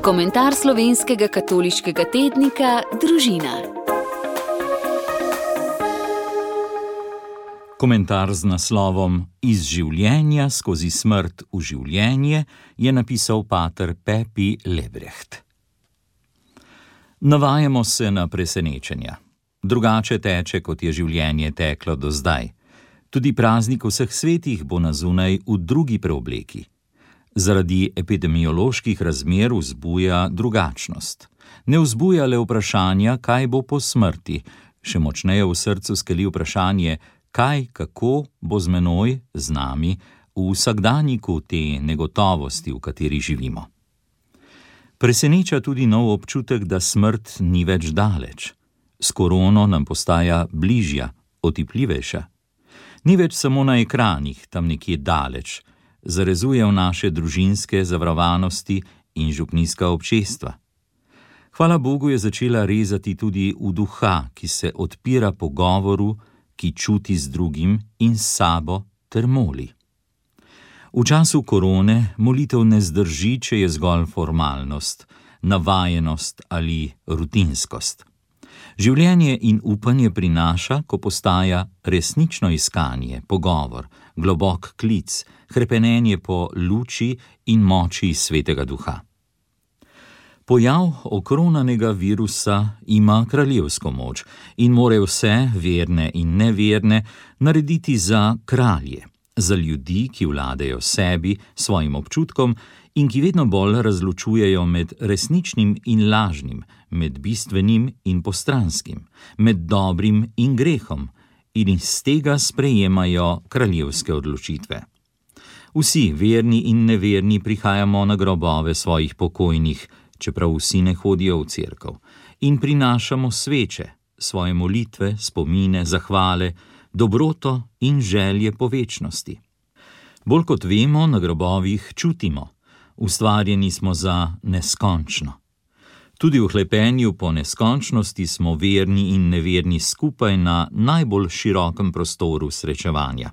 Komentar slovenskega katoliškega tednika Družina. Komentar z naslovom Iz življenja skozi smrt v življenje je napisal pater Pepi Lebrecht. Navajamo se na presenečenja. Drugače teče, kot je življenje teklo do zdaj. Tudi praznik vseh svetih bo na zunaj v drugi preobleki. Zaradi epidemioloških razmer vzbuja drugačnost. Ne vzbuja le vprašanja, kaj bo po smrti, še močneje v srcu skeli vprašanje, kaj, kako bo z menoj, z nami, v vsakdanjiku te negotovosti, v kateri živimo. Preseneča tudi nov občutek, da smrt ni več daleč. S korono nam postaja bližja, otipljivejša. Ni več samo na ekranih, tam nekje daleč, zarezuje v naše družinske zavarovanosti in župnijska občestva. Hvala Bogu je začela rezati tudi v duha, ki se odpira pogovoru, ki čuti z drugim in s sabo ter moli. V času korone molitev ne zdrži, če je zgolj formalnost, navajenost ali rutinskost. Življenje in upanje prinaša, ko postaja resnično iskanje, pogovor, globok klic, hrepenenje po luči in moči Svetega Duha. Pojav okronanega virusa ima kraljevsko moč in more vse, verne in neverne, narediti za kralje, za ljudi, ki vladajo sebi, svojim občutkom in ki vedno bolj razločujejo med resničnim in lažnim, med bistvenim in postranskim, med dobrim in grehom in iz tega sprejemajo kraljevske odločitve. Vsi, verni in neverni, prihajamo na grobove svojih pokojnih, čeprav vsi ne hodijo v cerkev, in prinašamo sveče, svoje molitve, spomine, zahvale, dobroto in želje po večnosti. Bolj kot vemo, na grobovih čutimo, ustvarjeni smo za neskončno. Tudi v hlepenju po neskončnosti smo verni in neverni skupaj na najbolj širokem prostoru srečevanja.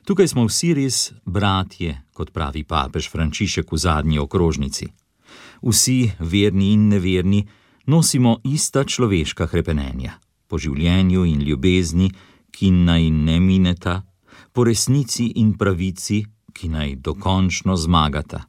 Tukaj smo vsi res bratje, kot pravi papež Frančišek v zadnji okrožnici. Vsi, verni in neverni, nosimo ista človeška hrepenenja, po življenju in ljubezni, ki naj ne mineta, po resnici in pravici, ki naj dokončno zmagata.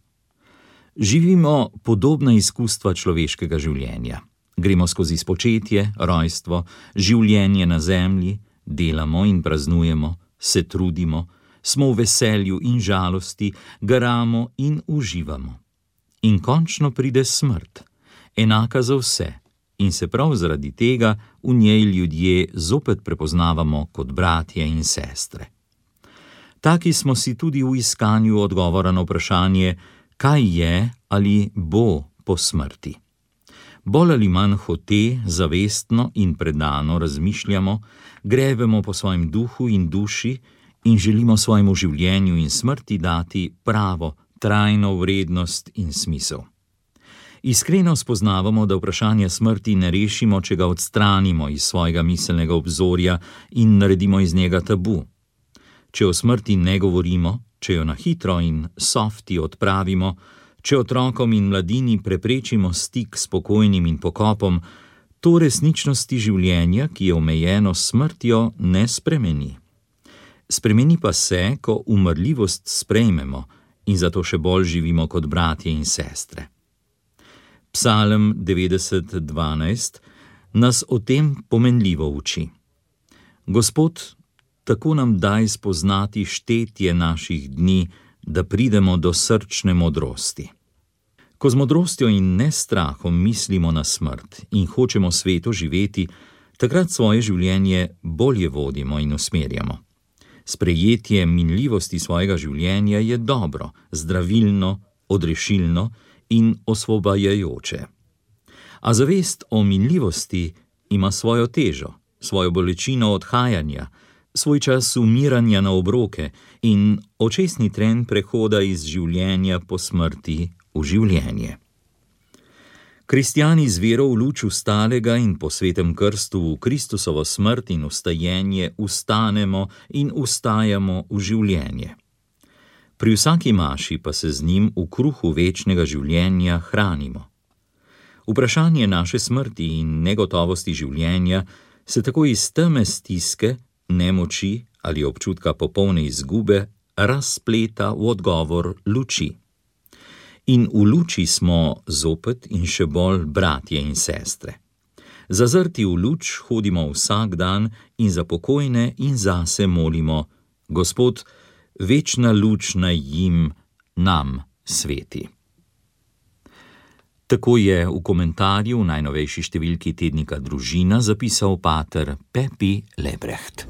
Živimo podobna izkustva človeškega življenja. Gremo skozi spočetje, rojstvo, življenje na zemlji, delamo in praznujemo, se trudimo, smo v veselju in žalosti, garamo in uživamo. In končno pride smrt, enaka za vse, in se prav zaradi tega v njej ljudje zopet prepoznavamo kot bratje in sestre. Taki smo si tudi v iskanju odgovora na vprašanje, kaj je ali bo po smrti. Bolj ali manj hote, zavestno in predano razmišljamo, grebemo po svojem duhu in duši in želimo svojemu življenju in smrti dati pravo, trajno vrednost in smisel. Iskreno spoznavamo, da vprašanje smrti ne rešimo, če ga odstranimo iz svojega miselnega obzorja in naredimo iz njega tabu. Če o smrti ne govorimo, če jo na hitro in softi odpravimo, če otrokom in mladini preprečimo stik s pokojnim in pokopom, to resničnosti življenja, ki je omejeno s smrtjo, ne spremeni. Spremeni pa se, ko umrljivost sprejmemo in zato še bolj živimo kot bratje in sestre. Psalm 90:12 nas o tem pomenljivo uči. Gospod, tako nam daj spoznati štetje naših dni, da pridemo do srčne modrosti. Ko z modrostjo in nestrahom mislimo na smrt in hočemo sveto živeti, takrat svoje življenje bolje vodimo in usmerjamo. Sprejetje minljivosti svojega življenja je dobro, zdravilno, odrešilno in osvobajajoče. A zavest o minljivosti ima svojo težo, svojo bolečino odhajanja, svoj čas umiranja na obroke in očesni tren prehoda iz življenja po smrti v življenje. Kristjani z vero v luč vstalega in po svetem krstu v Kristusovo smrt in vstajenje vstanemo in vstajamo v življenje. Pri vsaki maši pa se z njim v kruhu večnega življenja hranimo, Vprašanje naše smrti in negotovosti življenja se tako iz teme stiske, nemoči ali občutka popolne izgube razpleta v odgovor luči. In v luči smo zopet in še bolj bratje in sestre. Zazrti v luč hodimo vsak dan in za pokojne in zase molimo: Gospod, večna luč naj jim, nam sveti. Tako je v komentarju v najnovejši številki tednika Družina zapisal pater Pepi Lebrecht.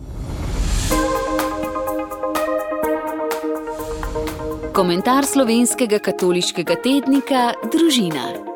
Komentar slovenskega katoliškega tednika Družina.